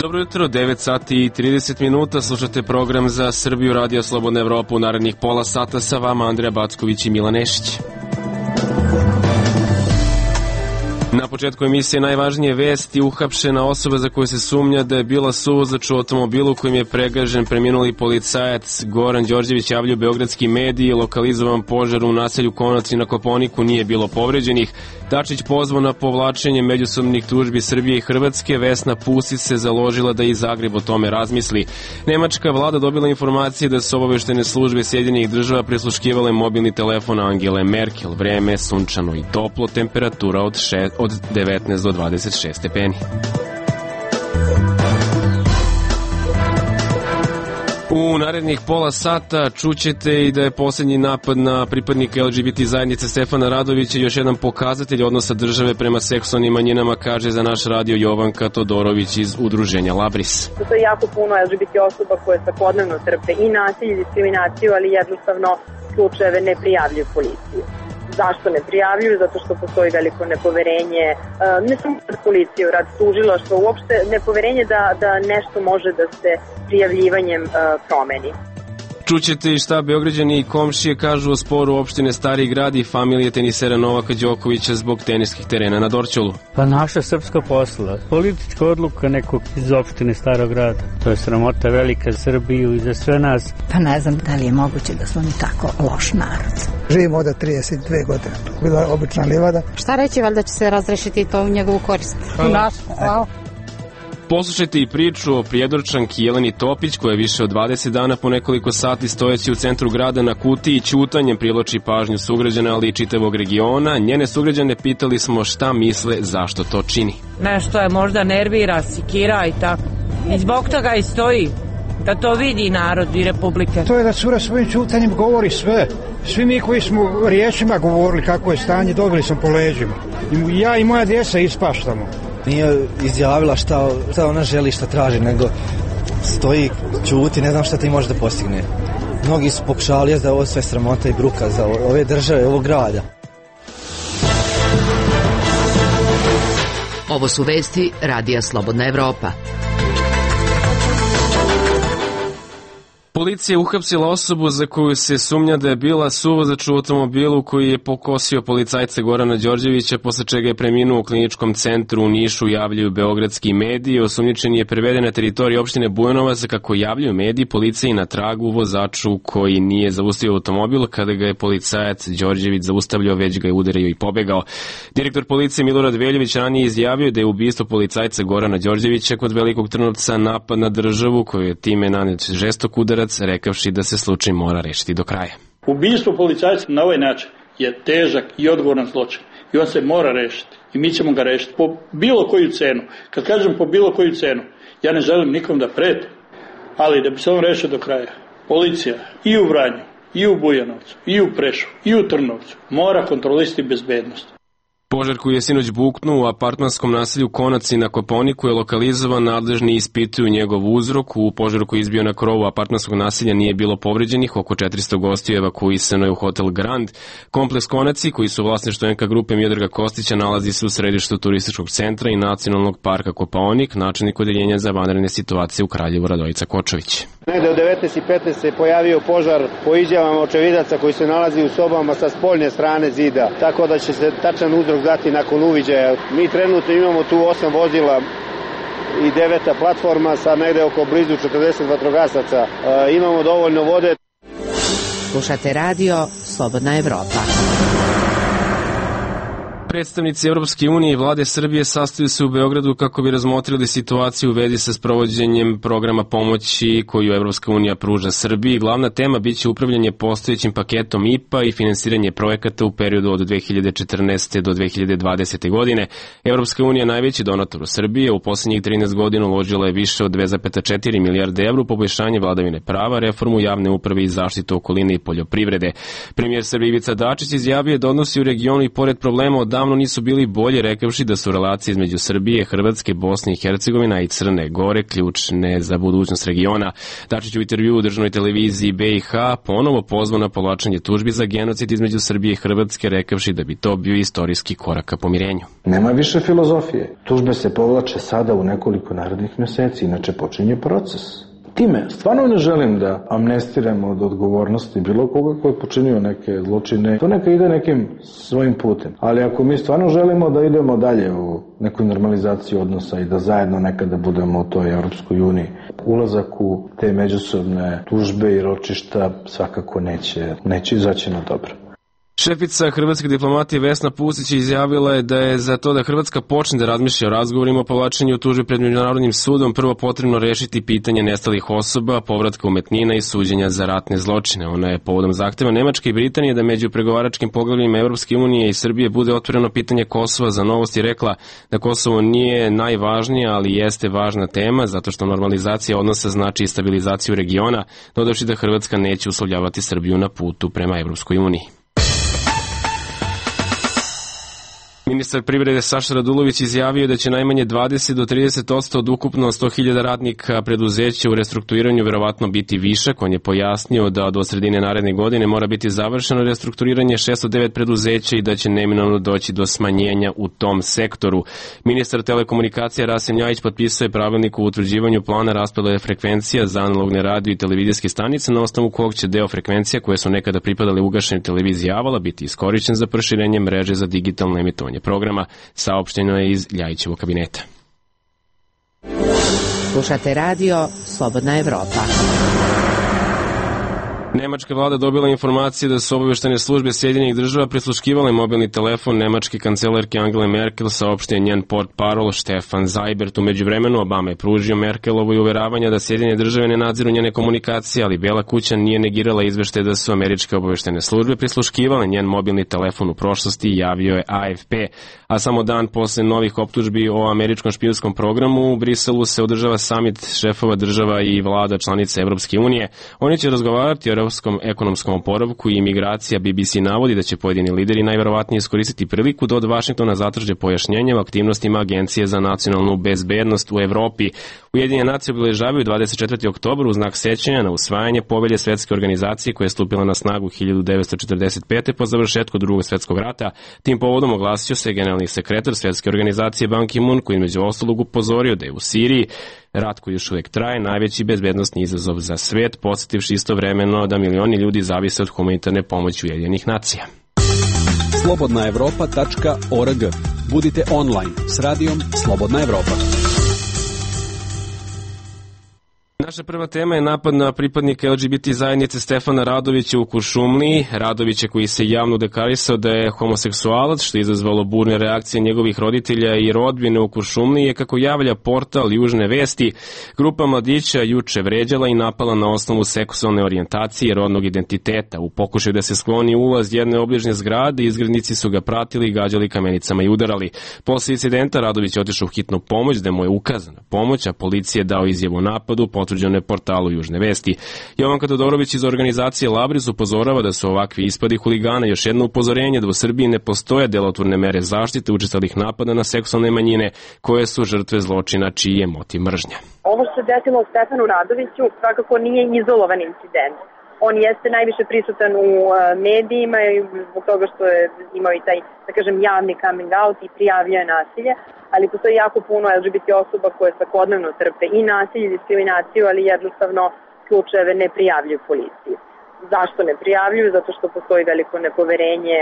Dobro jutro, 9 sati i 30 minuta, slušate program za Srbiju, Radio Slobodna Evropa. U narednih pola sata sa vama Andreja Backović i Milan Nešić. Na početku emisije najvažnije vesti: uhapšena osoba za koju se sumnja da je bila suvozač u automobilu kojim je pregažen preminuli policajac Goran Đorđević, javljaju beogradski mediji. Lokalizovan požar u naselju Konac i na Kopaoniku, nije bilo povređenih. Dačić pozvao na povlačenje međusobnih tužbi Srbije i Hrvatske. Vesna Pusić se založila da i Zagreb o tome razmisli. Nemačka vlada dobila informacije da su obaveštene službe Sjedinjenih država prisluškivale mobilni telefon Angele Merkel. Vreme je sunčano i toplo, temperatura od 19 do 26 stepeni. U narednih pola sata čućete i da je posljednji napad na pripadnika LGBT zajednice Stefana Radovića još jedan pokazatelj odnosa države prema seksualnim manjinama, kaže za naš radio Jovanka Todorović iz udruženja Labris. To je jako puno LGBT osoba koje svakodnevno trpe i nasilje i diskriminaciju, ali jednostavno slučajeve ne prijavljuju policiju. Zašto ne prijavljuju? Zato što postoji veliko nepoverenje, ne samo rad policije, rad tužilaštva, uopšte nepoverenje da nešto može da se prijavljivanjem promeni. Čućete i šta Beograđani i komšije kažu o sporu opštine Stari Grad i familije tenisera Novaka Đokovića zbog teniskih terena na Dorćolu. Pa naša srpska posla, politička odluka nekog iz opštine Starog Grada. To je sramota velika za Srbiju i za sve nas. Pa ne znam da li je moguće da su oni tako loš narod. Živimo od 32 godine. Bila obična livada. Šta reći, valjda će se razrešiti to u njegovu korist. Hvala. Poslušajte i priču o Prijedorčanki Jeleni Topić, koja je više od 20 dana po nekoliko sati stojeći u centru grada na kutiji i ćutanjem privlači pažnju sugrađana, ali i čitavog regiona. Njene sugrađane pitali smo šta misle, zašto to čini. Nešto je možda nervira, sikira i tako. I zbog toga i stoji, da to vidi narod i republike. To je da cura svojim ćutanjem govori sve. Svi mi koji smo riječima govorili kako je stanje, dobili smo po leđima. Ja i moja djeca ispaštamo. Nije izjavila šta ona želi, šta traži, nego stoji, ćuti, ne znam šta ti može da postigne. Mnogi su pokušali da je ovo sve sramota i bruka za ove države, ovog grada. Ovo su vesti Radija Slobodna Evropa. Policija je uhapsila osobu za koju se sumnja da je bila suvozač u automobilu koji je pokosio policajca Gorana Đorđevića, posle čega je preminuo u kliničkom centru u Nišu, javljaju beogradski mediji. Osumnjičeni je preveden na teritoriji opštine Bujanovac. Kako javljaju mediji, policija je na tragu vozaču koji nije zaustavio automobil. Kada ga je policajac Đorđević zaustavljao, već ga je udario i pobegao. Direktor policije Milorad Veljović ranije izjavio da je ubistvo policajca Gorana Đorđevića kod Velikog Trnovca napad na državu, koju je time nanet žestok udarac, rekavši da se slučaj mora rešiti do kraja. Ubistvo policajca na ovaj način je težak i odgovoran zločin i on se mora rešiti i mi ćemo ga rešiti po bilo koju cenu. Kad kažem po bilo koju cenu, ja ne želim nikom da pretim, ali da bi se on rešio do kraja, policija i u Vranju, i u Bujanovcu, i u Preševu, i u Trnovcu mora kontrolisati bezbednost. Požar koji je sinoć buknuo u apartmanskom naselju Konac i na Kopaoniku je lokalizovan, nadležni ispituju njegov uzrok. U požaru koji je izbio na krovu apartmanskog naselja nije bilo povređenih, oko 400 gostiju evakuisano je u hotel Grand. Kompleks Konaci, koji su vlasništvo NK grupe Miodraga Kostića, nalazi se u središtu turističkog centra i nacionalnog parka Kopaonik. Načelnik odeljenja za vanredne situacije u Kraljevu Radojica Kočović. Negde u 19:15 se pojavio požar po izjavama očevidaca koji se nalazi u sobama sa spoljne strane zida, tako da će se tačan uzrok dati nakon uviđaja. Mi trenutno imamo tu 8 vozila i 9 platforma sa negde oko blizu 40 vatrogasaca. Imamo dovoljno vode. Slušate radio Slobodna Evropa. Predstavnici Evropske unije i vlade Srbije sastaju se u Beogradu kako bi razmotrili situaciju u vezi sa sprovođenjem programa pomoći koju Evropska unija pruža Srbiji. Glavna tema biće upravljanje postojećim paketom IPA i finansiranje projekata u periodu od 2014. do 2020. godine. Evropska unija, najveći donator u Srbiji, u poslednjih 13 godina uložila je više od 2,4 milijarde evra u poboljšanje vladavine prava, reformu javne uprave i zaštitu okoline i poljoprivrede. Premijer Srbije Ivica Dačić izjavio da odnosi u regionu i pored problema od davno nisu bili bolje, rekavši da su relacije između Srbije, Hrvatske, Bosne i Hercegovina i Crne Gore ključne za budućnost regiona. Dačić u intervju u državnoj televiziji BiH ponovo pozvao na povlačenje tužbi za genocid između Srbije i Hrvatske, rekavši da bi to bio istorijski korak ka pomirenju. Nema više filozofije. Tužbe se povlače sada u nekoliko narednih mjeseci, inače počinje proces. Time stvarno ne želim da amnestiramo od odgovornosti bilo koga ko je počinio neke zločine. To neka ide nekim svojim putem. Ali ako mi stvarno želimo da idemo dalje u neku normalizaciju odnosa i da zajedno nekada budemo u toj Europskoj uniji, ulazak u te međusobne tužbe i ročišta svakako neće izaći na dobro. Šefica hrvatske diplomatije Vesna Pusić izjavila je da je za to da Hrvatska počne da razmišlja o razgovorima o povlačenju tužbe pred Međunarodnim sudom prvo potrebno rešiti pitanje nestalih osoba, povratka umetnina i suđenja za ratne zločine. Ona je povodom zahteva Nemačke i Britanije da među pregovaračkim poglavljima Evropske unije i Srbije bude otvoreno pitanje Kosova za Novosti rekla da Kosovo nije najvažnije, ali jeste važna tema zato što normalizacija odnosa znači i stabilizaciju regiona, dodavši da Hrvatska neće uslovljavati Srbiju na putu prema Evropskoj uniji. Ministar privrede Saša Radulović izjavio da će najmanje 20 do 30% od ukupno 100.000 radnika preduzeća u restrukturiranju verovatno biti višak. On je pojasnio da do sredine naredne godine mora biti završeno restrukturiranje 609 preduzeća i da će neminovno doći do smanjenja u tom sektoru. Ministar telekomunikacija Rasim Ljajić potpisao je pravilnik o utvrđivanju plana raspodele frekvencija za analogne radio i televizijske stanice, na osnovu kog će deo frekvencija koje su nekada pripadale ugašenoj televiziji Avala biti iskorišćen za proširenje mreže za digitalno emitovanje programa, saopšteno je iz Ljajićevog kabineta. Slušate radio Slobodna Evropa. Nemačka vlada dobila informacije da su obaveštene službe Sjedinjenih država prisluškivale mobilni telefon nemačke kancelarke Angele Merkel, saopštio njen portparol Stefan Seibert. U međuvremenu Obama je pružio Merkelovo i uveravanja da Sjedinjene države ne nadziru njene komunikacije, ali Bela kuća nije negirala izveštaje da su američke obaveštene službe prisluškivale njen mobilni telefon u prošlosti, javio je AFP. A samo dan posle novih optužbi o američkom špijunskom programu u Briselu se održava samit šefova država i vlada članica Evropske unije. Oni će razgovarati o evropskom ekonomskom oporavku i imigracija. BBC navodi da će pojedini lideri najverovatnije iskoristiti priliku da od Vašingtona zatraže pojašnjenje o aktivnostima Agencije za nacionalnu bezbednost u Evropi. Ujedinjene nacije obeležavaju 24. oktobar u znak sećanja na usvajanje povelje Svetske organizacije koja je stupila na snagu 1945. po završetku Drugog svjetskog rata. Tim povodom oglasio se generalni sekretar Svetske organizacije Ban Ki-moon, koji između ostalog upozorio da je u Siriji rat koji još uvijek traje najveći bezbednosni izazov za svet, podsjetivši istovremeno da milioni ljudi zavise od humanitarne pomoći Ujedinjenih nacija. slobodnaevropa.org. Budite online s radijom Slobodna Evropa. Naša prva tema je napad na pripadnika LGBT zajednice Stefana Radovića u Kuršumliji. Radovića koji se javno deklarisao da je homoseksualac, što je izazvalo burne reakcije njegovih roditelja i rodbine u Kuršumliji, je, kako javlja portal Južne vesti, grupa mladića juče vređala i napala na osnovu seksualne orijentacije i rodnog identiteta. U pokušaju da se skloni ulaz jedne obližnje zgrade, izgrednici su ga pratili, gađali kamenicama i udarali. Posle incidenta Radović je otišao u hitnu pomoć, da mu je ukazana pomoć, a policija je dao izjavu o napadu, potvrđeno je portalu Južne vesti. Jovanka Todorović iz organizacije Labris upozorava da su ovakvi ispadi huligana još jedno upozorenje da u Srbiji ne postoje delotvorne mere zaštite učestalih napada na seksualne manjine koje su žrtve zločina čiji je motiv mržnja. Ovo što se desilo Stefanu Radoviću svakako nije izolovan incident. On jeste najviše prisutan u medijima i zbog toga što je imao i taj, da kažem, javni coming out i prijavio nasilje, ali postoji jako puno LGBT osoba koje svakodnevno trpe i nasilje i diskriminaciju, ali jednostavno slučajeve ne prijavljuju policiji. Zašto ne prijavljuju? Zato što postoji veliko nepoverenje,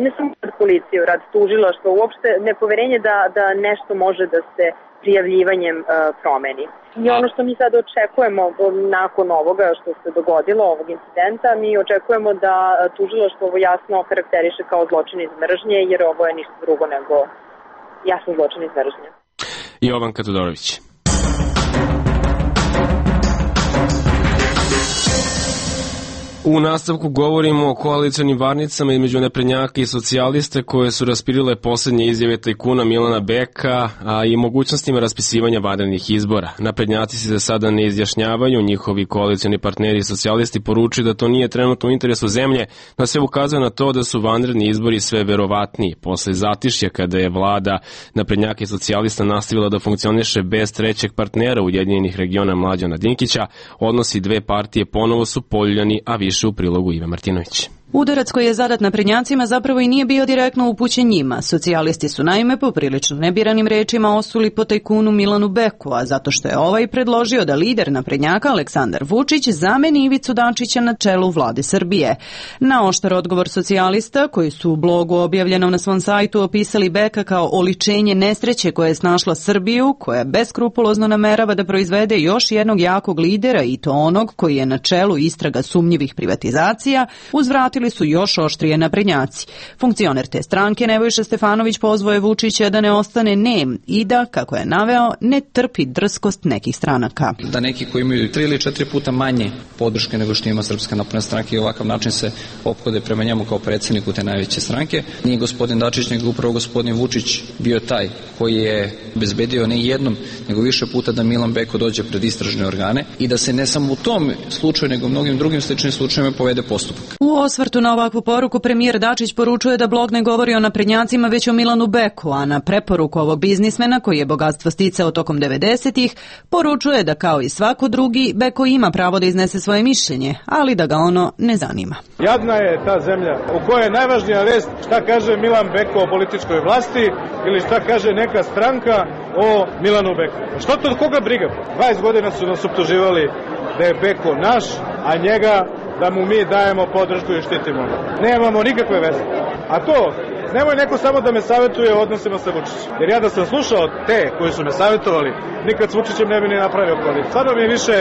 ne samo rad policije, rad tužilaštva, uopšte nepoverenje da nešto može da se prijavljivanjem promeni. I ono što mi sad očekujemo nakon ovoga što se dogodilo, ovog incidenta, mi očekujemo da tužilaštvo ovo jasno karakteriše kao zločin iz mržnje, jer ovo je ništa drugo nego jasno zločin iz mržnje. Jovanka Todorović. U nastavku govorimo o koalicionim varnicama između naprednjaka i socijalista koje su raspirile poslednje izjave tajkuna Milana Beka, a i mogućnostima raspisivanja vanrednih izbora. Naprednjaci se za sada ne izjašnjavaju, njihovi koalicioni partneri i socijalisti poručuju da to nije trenutno u interesu zemlje, no sve ukazuje na to da su vanredni izbori sve verovatniji. Posle zatišja kada je vlada naprednjaka i socijalista nastavila da funkcioniše bez trećeg partnera Ujedinjenih regiona Mlađana Dinkića, odnosi dve partije ponovo su poljuljani, a više u prilogu Ive Martinović. Udarac koji je zadat naprednjacima zapravo i nije bio direktno upućen njima. Socijalisti su naime poprilično nebiranim rečima osuli po tajkunu Milanu Beku, a zato što je ovaj predložio da lider naprednjaka Aleksandar Vučić zameni Ivicu Dačića na čelu vlade Srbije. Na oštar odgovor socijalista, koji su u blogu objavljenom na svom sajtu opisali Beka kao oličenje nesreće koje je snašla Srbiju, koja beskrupulozno namerava da proizvede još jednog jakog lidera i to onog koji je na čelu istraga sumnjivih privatizacija, uzvratili su još oštrije naprednjaci. Funkcioner te stranke Nebojša Stefanović pozvao je Vučića da ne ostane nem i da, kako je naveo, ne trpi drskost nekih stranaka. Da neki koji imaju 3 ili 4 puta manje podrške nego što ima Srpska napredna stranka i ovakav način se ophode prema njemu kao predsjedniku te najveće stranke. Nije gospodin Dačić, nego upravo gospodin Vučić bio taj koji je obezbedio ne jednom, nego više puta da Milan Beko dođe pred istražne organe i da se ne samo u tom slučaju, nego u mnogim drugim sličnim slučajevima povede postupak. U osvrtu na ovakvu poruku premijer Dačić poručuje da blog ne govori o naprednjacima već o Milanu Beku, a na preporuku ovog biznismena koji je bogatstvo sticao tokom 90-ih poručuje da kao i svako drugi Beko ima pravo da iznese svoje mišljenje, ali da ga ono ne zanima. Jadna je ta zemlja u kojoj je najvažnija vest šta kaže Milan Beko o političkoj vlasti ili šta kaže neka stranka o Milanu Beku. Što to koga briga? 20 godina su nas optuživali da je Beko naš, a njega da mu mi dajemo podršku i štitimo. Nemamo nikakve veze. A to, nemoj neko samo da me savjetuje o odnosima sa Vučićem. Jer ja da sam slušao te koji su me savjetovali, nikad s Vučićem ne bi ni napravio koaliciju. Sada mi je više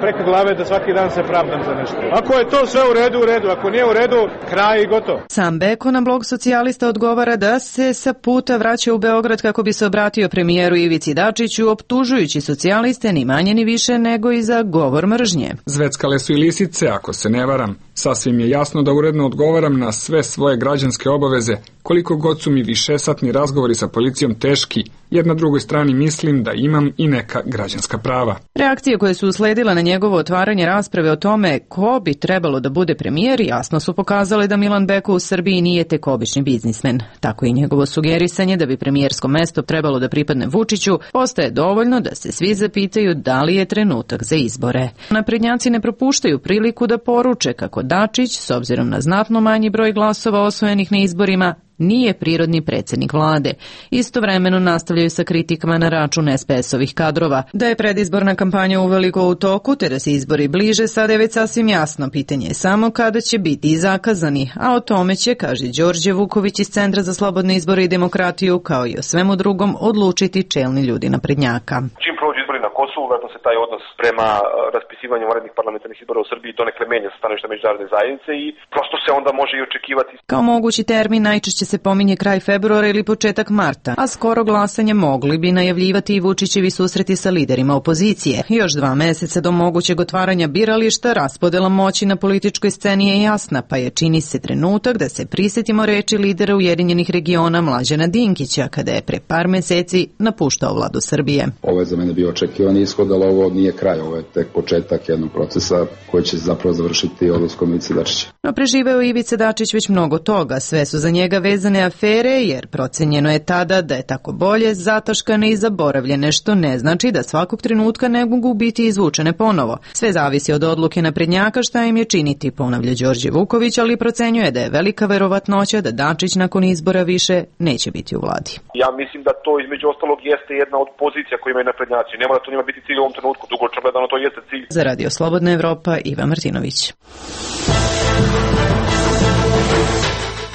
preko glave da svaki dan se pravdam za nešto. Ako je to sve u redu. Ako nije u redu, kraj i gotovo. Sam Beko na blog socijalista odgovara da se sa puta vraća u Beograd kako bi se obratio premijeru Ivici Dačiću, optužujući socijaliste ni manje ni više nego i za govor mržnje. Zveckale su i lisice, ako se ne varam. Sasvim je jasno da uredno odgovaram na sve svoje građanske obaveze, koliko god su mi višesatni razgovori sa policijom teški, jer na drugoj strani mislim da imam i neka građanska prava. Reakcije koje su usledile na njegovo otvaranje rasprave o tome ko bi trebalo da bude premijer jasno su pokazale da Milan Beko u Srbiji nije tek obični biznismen. Tako i njegovo sugerisanje da bi premijersko mesto trebalo da pripadne Vučiću postaje dovoljno da se svi zapitaju da li je trenutak za izbore. Naprednjaci ne propuštaju priliku da poruče kako Dačić, s obzirom na znatno manji broj glasova osvojenih na izborima, nije prirodni predsjednik vlade. Istovremeno nastavljaju sa kritikama na račun SPS-ovih kadrova. Da je predizborna kampanja uveliko u toku, te da se izbori bliže, sada je već sasvim jasno. Pitanje je samo kada će biti zakazani, a o tome će, kaže Đorđe Vuković iz Centra za slobodne izbore i demokratiju, kao i o svemu drugom, odlučiti čelni ljudi naprednjaka. Čim prođu izbori na Kosovu, vjerojatno se taj odnos prema raspisivanju vanrednih parlamentarnih izbora u Srbiji donekle menja sa stanovišta međunarodne zajednice i prosto se onda može i očekivati. Kao mogući termin najčešće se pominje kraj februara ili početak marta, a skoro glasanje mogli bi najavljivati i Vučićevi susreti sa liderima opozicije. Još 2 meseca do mogućeg otvaranja birališta, raspodela moći na političkoj sceni je jasna, pa je čini se trenutak da se prisetimo reči lidera Ujedinjenih regiona Mlađana Dinkića, kada je pre par meseci napuštao vladu Srbije. Ovo je za mene bio očekivani ishod, ali ovo nije kraj, ovo je tek početak jednog procesa koji će zapravo završiti odlaskom Ivice Dačića. No preživeo Ivica Dačić već mnogo toga, sve su za njega vezane afere, jer procenjeno je tada da je tako bolje zataškane i zaboravljene, što ne znači da svakog trenutka ne mogu biti izvučene ponovo. Sve zavisi od odluke naprednjaka šta im je činiti, ponavlja Đorđe Vuković, ali procenjuje da je velika verovatnoća da Dačić nakon izbora više neće biti u vladi. Ja mislim da to između ostalog jeste jedna od pozicija koje imaju naprednjaci. Ne mora to njima biti cilj u ovom trenutku, dugoročno gledano to jeste cilj. Za Radio Slobodna Evropa, Iva Martinović.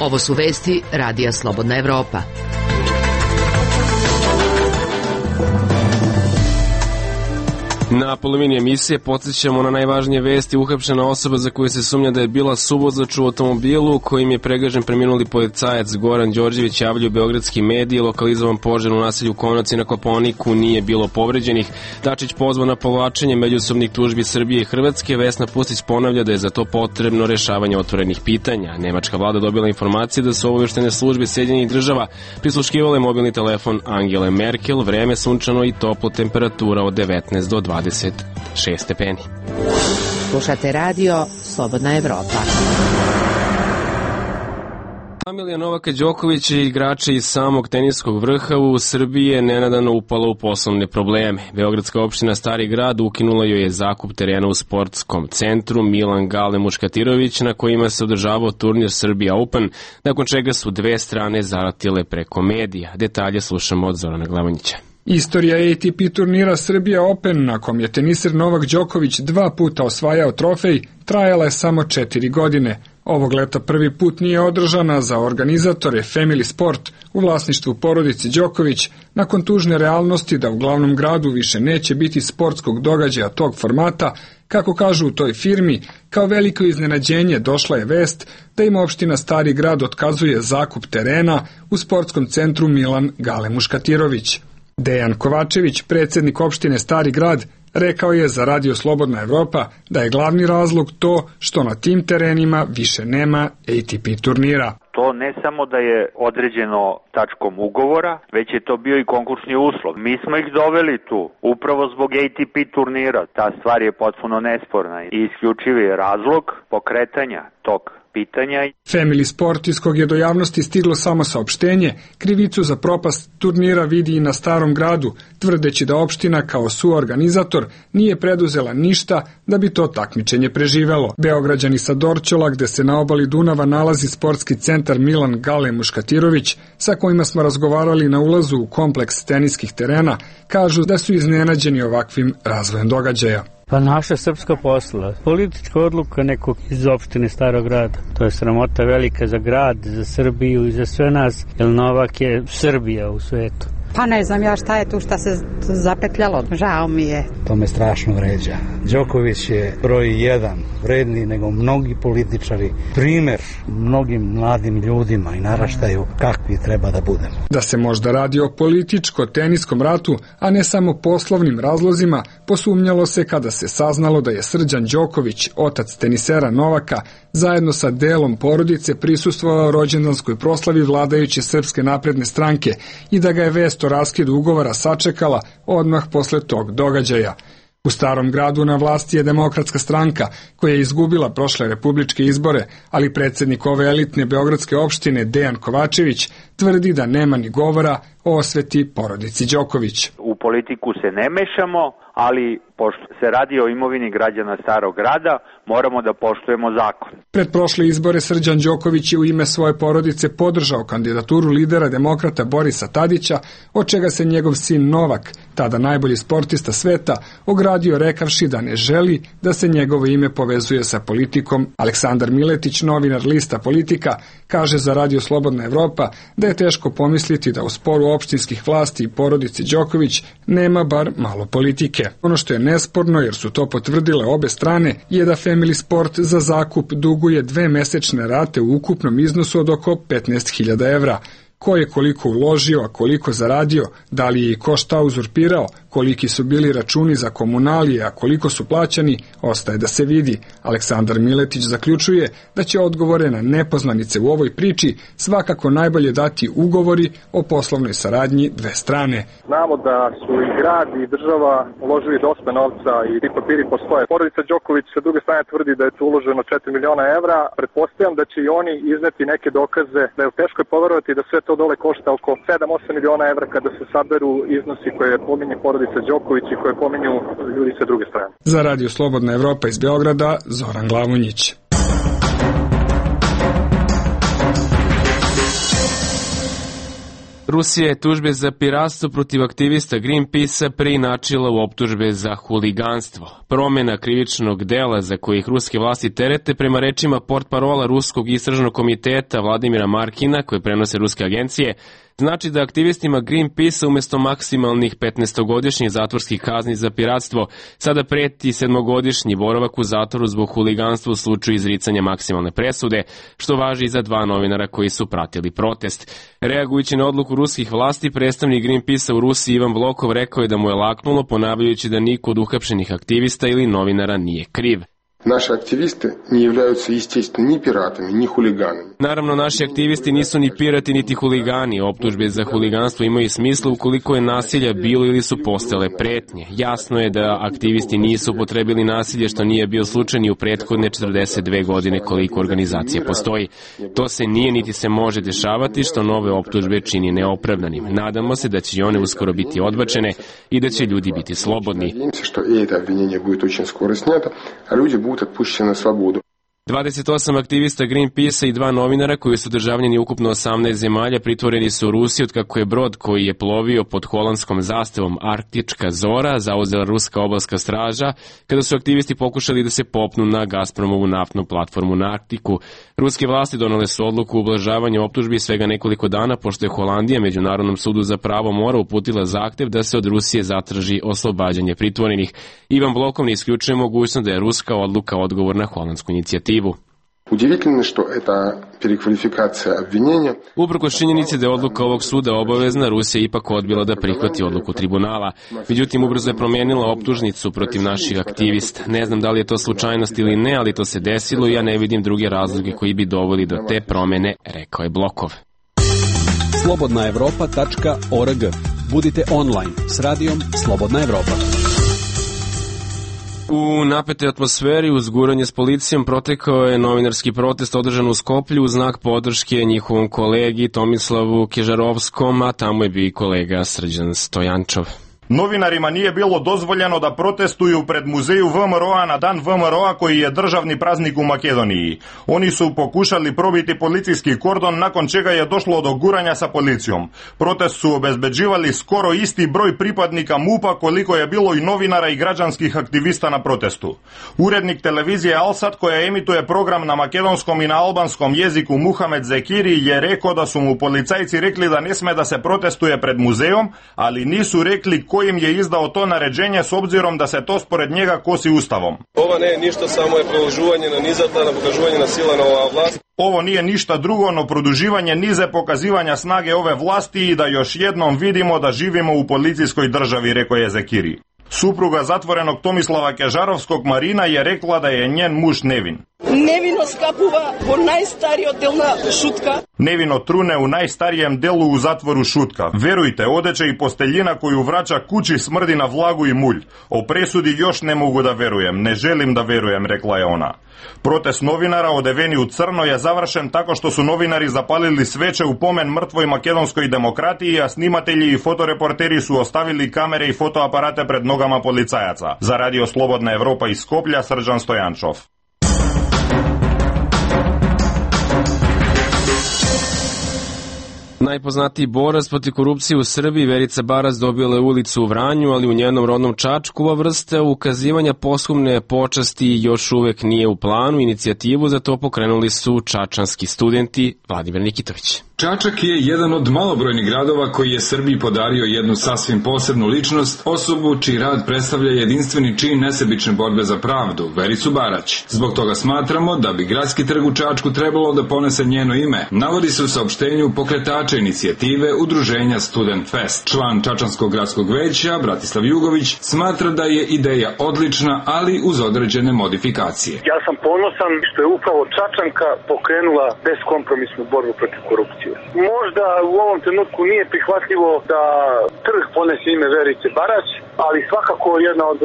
Ovo su vesti Radija Slobodna Evropa. Na polovini emisije podsjećamo na najvažnije vesti. Uhapšena osoba za koju se sumnja da je bila suvozač u automobilu kojim je pregažen preminuli policajac Goran Đorđević, javljaju beogradski mediji. Lokalizovan požar u naselju Konaci na Kopaoniku, nije bilo povređenih. Dačić pozvao na povlačenje međusobnih tužbi Srbije i Hrvatske. Vesna Pustić ponavlja da je za to potrebno rešavanje otvorenih pitanja. Nemačka vlada dobila informacije da su obavještajne službe Sjedinjenih država prisluškivale mobilni telefon Angele Merkel. Vreme sunčano i toplo, temperatura od 19 do 26 stepeni. Slušate radio Slobodna Evropa. Familija Novaka Đokovića i igrača iz samog teniskog vrha u Srbiji je nenadano upala u poslovne probleme. Beogradska opština Stari grad ukinula joj je zakup terena u sportskom centru Milan Gale Muškatirović, na kojima se održavao turnir Serbia Open, nakon čega su dve strane zaratile preko medija. Detalje slušamo od Zorana Glavonjića. Istorija ATP turnira Serbia Open, na kom je teniser Novak Đoković 2 puta osvajao trofej, trajala je samo 4 godine. Ovog leta prvi put nije održana za organizatore Family Sport u vlasništvu porodice Đoković, nakon tužne realnosti da u glavnom gradu više neće biti sportskog događaja tog formata. Kako kažu u toj firmi, kao veliko iznenađenje došla je vest da im opština Stari grad otkazuje zakup terena u sportskom centru Milan Gale Muškatirović. Dejan Kovačević, predsjednik opštine Stari grad, rekao je za Radio Slobodna Evropa da je glavni razlog to što na tim terenima više nema ATP turnira. To ne samo da je određeno tačkom ugovora, već je to bio i konkursni uslov. Mi smo ih doveli tu upravo zbog ATP turnira. Ta stvar je potpuno nesporna i isključivi je razlog pokretanja tog pitanja. Family Sport, iz kog je do javnosti stiglo samo saopštenje, krivicu za propast turnira vidi i na Starom gradu, tvrdeći da opština kao suorganizator nije preduzela ništa da bi to takmičenje preživelo. Beograđani sa Dorćola, gde se na obali Dunava nalazi sportski centar Milan Gale Muškatirović, sa kojima smo razgovarali na ulazu u kompleks teniskih terena, kažu da su iznenađeni ovakvim razvojem događaja. Pa naša srpska posla, politička odluka nekog iz opštine Starog grada. To je sramota velika za grad, za Srbiju i za sve nas, jer Novak je Srbija u svetu. Pa ne znam ja šta je tu, šta se zapetljalo, žao mi je. To me strašno vređa. Đoković je broj 1, vredniji nego mnogi političari, primer mnogim mladim ljudima i naraštaju kakvi treba da budemo. Da se možda radi o političko-teniskom ratu, a ne samo poslovnim razlozima, posumnjalo se kada se saznalo da je Srđan Đoković, otac tenisera Novaka, zajedno sa delom porodice prisustvovao rođendanskoj proslavi vladajuće Srpske napredne stranke i da ga je vest o raskidu ugovora sačekala odmah posle tog događaja. U Starom gradu na vlasti je Demokratska stranka, koja je izgubila prošle republičke izbore, ali predsjednik ove elitne beogradske opštine Dejan Kovačević tvrdi da nema ni govora o osveti porodici Đoković. U politiku se ne mešamo, ali pošto se radi o imovini građana Starog grada, moramo da poštujemo zakon. Pred prošle izbore Srđan Đoković je u ime svoje porodice podržao kandidaturu lidera demokrata Borisa Tadića, od čega se njegov sin Novak, tada najbolji sportista sveta, ogradio rekavši da ne želi da se njegovo ime povezuje sa politikom. Aleksandar Miletić, novinar lista Politika, kaže za Radio Slobodna Evropa da je teško pomisliti da u sporu opštinskih vlasti i porodici Đoković nema bar malo politike. Ono što je nesporno, jer su to potvrdile obe strane, je da Family Sport za zakup duguje 2 mesečne rate u ukupnom iznosu od oko 15.000 evra. Ko je koliko uložio, a koliko zaradio, da li je i ko šta uzurpirao, koliki su bili računi za komunalije, a koliko su plaćani, ostaje da se vidi. Aleksandar Miletić zaključuje da će odgovore na nepoznanice u ovoj priči svakako najbolje dati ugovori o poslovnoj saradnji dve strane. Znamo da su i grad i država uložili dosta novca i ti papiri postoje. Porodica Đoković sa druge strane tvrdi da je tu uloženo 4 miliona evra. Pretpostavljam da će i oni izneti neke dokaze, da je teško poverovati da sve to dole košta oko 7-8 miliona evra kada se saberu iznosi koje pominje porodica Đoković i koje pominju ljudi sa druge strane. Za Radio Slobodna Evropa iz Beograda, Zoran Glavonjić. Rusija je tužbe za piratstvo protiv aktivista Greenpeace-a preinačila u optužbe za huliganstvo. Promena krivičnog dela za kojih ruske vlasti terete, prema rečima portparola Ruskog istražnog komiteta Vladimira Markina, koje prenose ruske agencije, znači da aktivistima Greenpeace umjesto maksimalnih 15-godišnjih zatvorskih kazni za piratstvo sada preti 7-godišnji boravak u zatvoru zbog huliganstva u slučaju izricanja maksimalne presude, što važi i za 2 novinara koji su pratili protest. Reagujući na odluku ruskih vlasti, predstavnik Greenpeace-a u Rusiji Ivan Blokov rekao je da mu je laknulo, ponavljajući da niko od uhapšenih aktivista ili novinara nije kriv. Naši aktivisti ne являются, естественно, ni piratami, ni huliganima. Naravno, naši aktivisti nisu ni pirati, niti huligani. Optužbe za huliganstvo imaju smisla ukoliko je nasilja bilo ili su postale pretnje. Jasno je da aktivisti nisu upotrebili nasilje, što nije bio slučaj ni u prethodne 42 godine koliko organizacija postoji. To se nije niti se može dešavati, što nove optužbe čini neopravdanim. Nadamo se da će i one uskoro biti odbačene i da će ljudi biti slobodni. 28 aktivista Greenpeace-a i 2 novinara koji su državljani ukupno 18 zemalja pritvoreni su u Rusiji otkako je brod koji je plovio pod holandskom zastavom Arktička Zora zauzela ruska obalska straža kada su aktivisti pokušali da se popnu na Gazpromovu naftnu platformu na Arktiku. Ruske vlasti donele su odluku o ublažavanju optužbi svega nekoliko dana pošto je Holandija Međunarodnom sudu za pravo mora uputila zahtev da se od Rusije zatraži oslobađanje pritvorenih. Ivan Blokov ne isključuje mogućnost da je ruska odluka odgovor na holandsku inicijativu. Удивительно, что эта переквалификация обвинения... Uprkos činjenici da je odluka ovog suda obavezna, Rusija je ipak odbila da prihvati odluku tribunala. Međutim, ubrzo je promijenila optužnicu protiv naših aktivista. Ne znam da li je to slučajnost ili ne, ali to se desilo i ja ne vidim druge razloge koji bi doveli do te promjene, rekao je Blokov. Slobodnaevropa.org. Budite online s radijom Slobodna Evropa. U napetoj atmosferi uz guranje s policijom protekao je novinarski protest održan u Skoplju u znak podrške njihovom kolegi Tomislavu Kežarovskom, a tamo je bio i kolega Srđan Stojančov. Novinarima nije bilo dozvoljeno da protestuju pred muzeju VMRO-a na dan VMRO-a koji je državni praznik u Makedoniji. Oni su pokušali probiti policijski kordon nakon čega je došlo do guranja sa policijom. Protest su obezbeđivali skoro isti broj pripadnika MUP-a koliko je bilo i novinara i građanskih aktivista na protestu. Urednik televizije Alsat koja emituje program na makedonskom i na albanskom jeziku Muhamed Zekiri je rekao da su mu policajci rekli da ne sme da se protestuje pred muzejom, ali nisu rekli kojim je izdao to naređenje s obzirom da se to spored njega kosi ustavom. Ovo ne je ništa, samo je produživanje na nizata, na pokaživanje na sila na ova vlast. Ovo nije ništa drugo, no produživanje nize pokazivanja snage ove vlasti i da još jednom vidimo da živimo u policijskoj državi, rekao je Zekiri. Supruga zatvorenog Tomislava Kežarovskog Marina je rekla da je njen muž nevin. Nevino skapuva po najstariji oddelna Šutka. Nevino trune u najstarijem delu u zatvoru Šutka. Verujte, odeća i posteljina koju vraća kući smrdi na vlagu i mulj. O presudi još ne mogu da verujem, ne želim da verujem, rekla je ona. Protest novinara odeveni u crno je završen tako što su novinari zapalili sveće u pomen mrtvoj makedonskoj demokratiji, a snimatelji i fotoreporteri su ostavili kamere i fotoaparate pred nogama policajaca. Za Radio Slobodna Evropa iz Skoplja, Srđan Stojančov. Najpoznatiji borac protiv korupcije u Srbiji, Verica Barać, dobila je ulicu u Vranju, ali u njenom rodnom Čačku ova vrsta ukazivanja posthumne počasti još uvek nije u planu. Inicijativu za to pokrenuli su čačanski studenti. Vladimir Nikitović. Čačak je jedan od malobrojnih gradova koji je Srbiji podario jednu sasvim posebnu ličnost, osobu čiji rad predstavlja jedinstveni čin nesebične borbe za pravdu, Vericu Barać. Zbog toga smatramo da bi gradski trg u Čačku trebalo da ponese njeno ime. Navodi se u saopštenju pokretača inicijative Udruženja Student Fest. Član Čačanskog gradskog veća, Bratislav Jugović, smatra da je ideja odlična, ali uz određene modifikacije. Ja sam ponosan što je upravo Čačanka pokrenula beskompromisnu borbu protiv korupcije. Možda u ovom trenutku nije prihvatljivo da trg ponese ime Verice Barać, ali svakako jedna od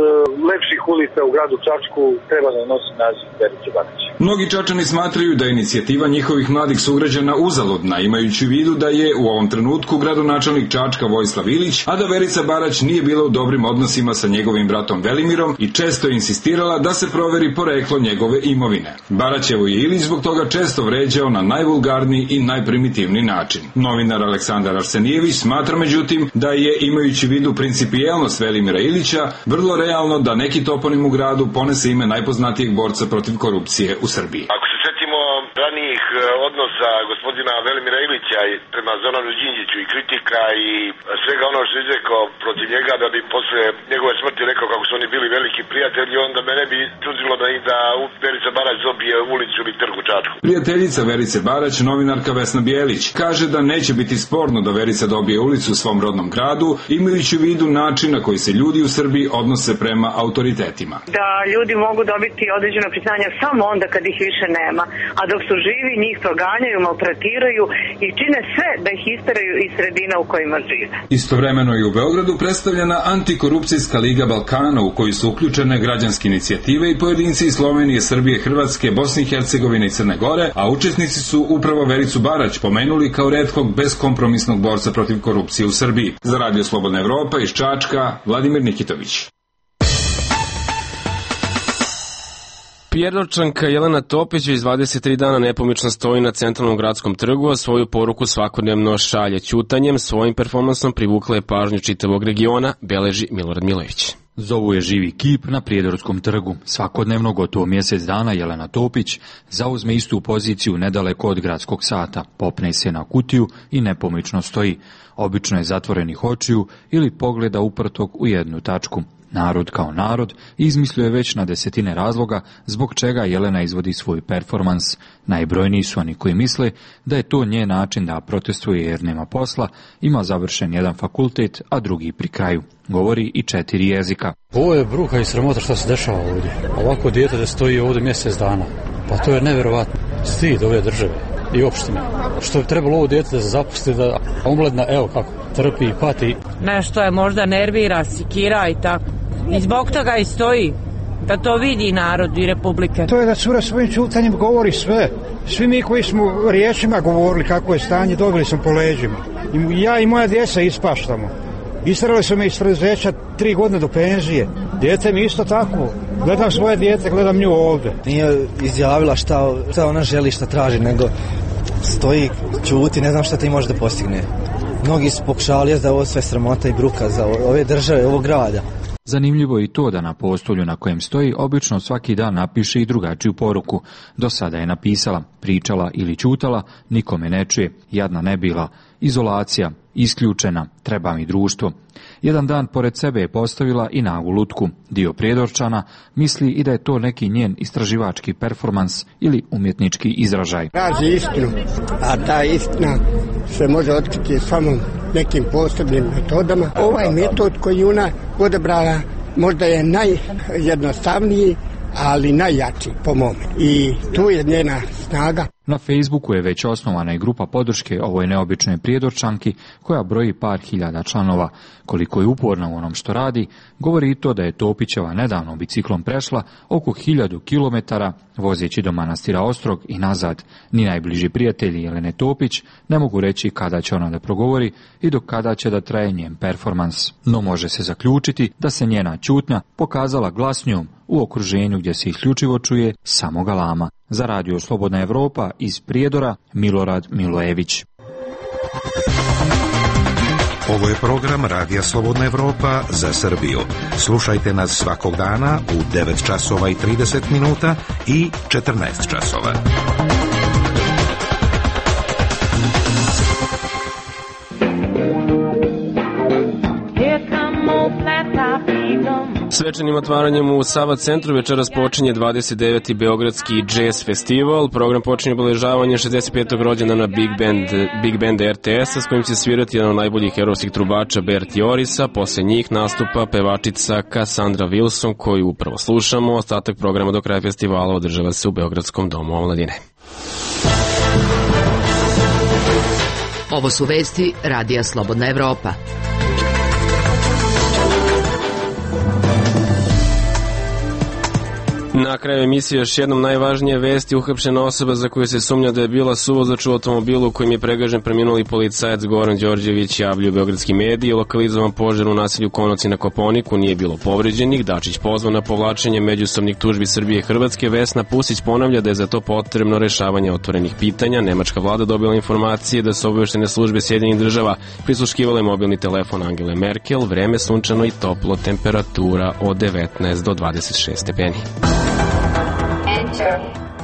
lepših ulica u gradu Čačku treba da nosi naziv Verice Barać. Mnogi Čačani smatraju da je inicijativa njihovih mladih sugrađana uzaludna, imajući u vidu da je u ovom trenutku gradonačelnik Čačka Vojislav Ilić, a da Verica Barać nije bila u dobrim odnosima sa njegovim bratom Velimirom i često je insistirala da se proveri poreklo njegove imovine. Baraćevo je Ilić zbog toga često vređao na najvulgarniji i najprimitivniji način. Novinar Aleksandar Arsenijević smatra međutim da je, imajući u vidu principijelnost Velimira Ilića, vrlo realno da neki toponim u gradu ponese ime najpoznatijeg borca protiv korupcije u Srbiji. Ako se setimo ranijih odnosa gospodina Velimira Ilića prema Zoranu Đinđiću i kritika i svega ono što je izrekao protiv njega, da bi posle njegove smrti rekao kako su oni bili veliki prijatelji, onda me ne bi čudilo da Verica Barać dobije ulicu ili trg u Čačku. Prijateljica Verice Barać, novinarka Vesna Bijelić, kaže da neće biti sporno da Verica dobije ulicu u svom rodnom gradu, imajući u vidu način na koji se ljudi u Srbiji odnose prema autoritetima. Da ljudi mogu dobiti određeno priznanje samo onda kad ih više nema, a dok su živi njih proganjaju, maltretiraju i čine sve da ih isteraju iz sredina u kojima žive. Istovremeno je u Beogradu predstavljena Antikorupcijska liga Balkana u koju su uključene građanske inicijative i pojedinci iz Slovenije, Srbije, Hrvatske, Bosne i Hercegovine i Crne Gore, a učesnici su upravo Vericu Barać pomenuli kao retkog beskompromisnog borca protiv korupcije u Srbiji. Za Radio Slobodna Evropa iz Čačka, Vladimir Nikitović. Prijedorčanka Jelena Topić već 23 dana nepomično stoji na centralnom gradskom trgu, a svoju poruku svakodnevno šalje ćutanjem. Svojim performansom privukla je pažnju čitavog regiona, beleži Milorad Milojević. Zovu je živi kip na Prijedorskom trgu. Svakodnevno, gotovo mjesec dana, Jelena Topić zauzme istu poziciju nedaleko od gradskog sata, popne se na kutiju i nepomično stoji. Obično je zatvorenih očiju ili pogleda uprtog u jednu tačku. Narod kao narod izmislio je već na desetine razloga zbog čega Jelena izvodi svoj performans. Najbrojniji su oni koji misle da je to njen način da protestuje jer nema posla, ima završen jedan fakultet, a drugi pri kraju. Govori i 4 jezika. Ovo je bruka i sramota što se dešava ovdje. Ovako dijete da stoji ovdje mjesec dana. Pa to je nevjerovatno. Stid ove države i opštine. Što bi trebalo ovo dijete da se zapusti, da omladna, evo kako, trpi i pati. Nešto je možda nervira, sikira i tako. I zbog toga i stoji, da to vidi narod i republike. To je da cura svojim ćutanjem govori sve. Svi mi koji smo riječima govorili kako je stanje, dobili smo po leđima. I ja i moja djeca ispaštamo. Isterali su me iz preduzeća 3 godine do penzije. Dijete mi isto tako. Gledam svoje dijete, gledam nju ovdje. Nije izjavila šta ona želi, šta traži, nego stoji, ćuti, ne znam šta ti može da postigne. Mnogi su pokušavali da ovo sve sramota i bruka za ove države, ovog grada. Zanimljivo je i to da na postolju na kojem stoji obično svaki dan napiše i drugačiju poruku. Do sada je napisala, pričala ili ćutala, nikome ne čuje, jadna ne bila, izolacija, isključena, treba mi društvo. Jedan dan pored sebe je postavila i nagu lutku. Dio Prijedorčana misli i da je to neki njen istraživački performans ili umjetnički izražaj. Traži istinu, a ta istina se može otkriti samo nekim posebnim metodama. Ovaj metod koji ona odabrala možda je najjednostavniji, ali najjači po mome. I tu je njena snaga. Na Facebooku je već osnovana i grupa podrške ovoj neobičnoj Prijedorčanki koja broji par hiljada članova. Koliko je uporna u onom što radi, govori i to da je Topićeva nedavno biciklom prešla oko 1000 kilometara vozeći do manastira Ostrog i nazad. Ni najbliži prijatelji Jelene Topić ne mogu reći kada će ona da progovori i do kada će da traje njen performans. No može se zaključiti da se njena ćutnja pokazala glasnijom u okruženju gdje se isključivo čuje samo galama. Za Radio Slobodna Evropa iz Prijedora, Milorad Milojević. Ovo je program Radija Slobodna Evropa za Srbiju. Slušajte nas svakog dana u 9 časova i 30 minuta i 14 časova. Svečanim otvaranjem u Sava centru večeras počinje 29. Beogradski jazz festival. Program počinje obeležavanje 65. rođendana Big Band RTS-a s kojim će svirati jedan od najboljih europskih trubača Berti Orisa. Posle njih nastupa pevačica Cassandra Wilson koju upravo slušamo. Ostatak programa do kraja festivala održava se u Beogradskom domu omladine. Ovo su vesti Radija Slobodna Evropa. Na kraju emisije još jednom najvažnije vesti. Uhapšena osoba za koju se sumnja da je bila suvozač u automobilu u kojem je pregažen preminuli policajac Goran Đorđević, javljaju beogradski mediji. Lokalizovan požar u naselju Konovci na Koponiku, nije bilo povređenih. Dačić pozvao na povlačenje međusobnih tužbi Srbije i Hrvatske. Vesna Pusić ponavlja da je za to potrebno rešavanje otvorenih pitanja. Nemačka vlada dobila informacije da su obaveštene službe Sjedinjenih država prisluškivale mobilni telefon Angele Merkel. Vreme sunčano i toplo, temperatura od 19 do 26 stepeni.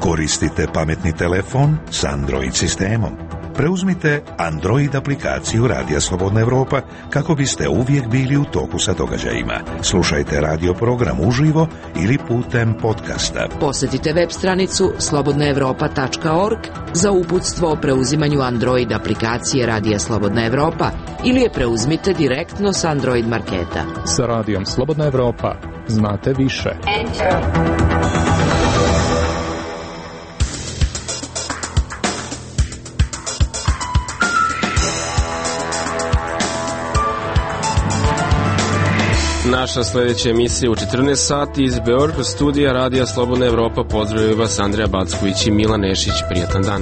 Koristite pametni telefon s Android sistemom. Preuzmite Android aplikaciju Radija Slobodna Evropa kako biste uvijek bili u toku sa događajima. Slušajte radio program uživo ili putem podcasta. Posjetite web stranicu slobodnaevropa.org za uputstvo o preuzimanju Android aplikacije Radija Slobodna Evropa ili je preuzmite direktno s Android marketa. Sa Radijom Slobodna Evropa znate više. Naša sljedeća emisija u 14 sati iz Beograd studija Radija Slobodna Evropa. Pozdravljaju vas Andreja Backović i Milan Nešić. Prijatan dan.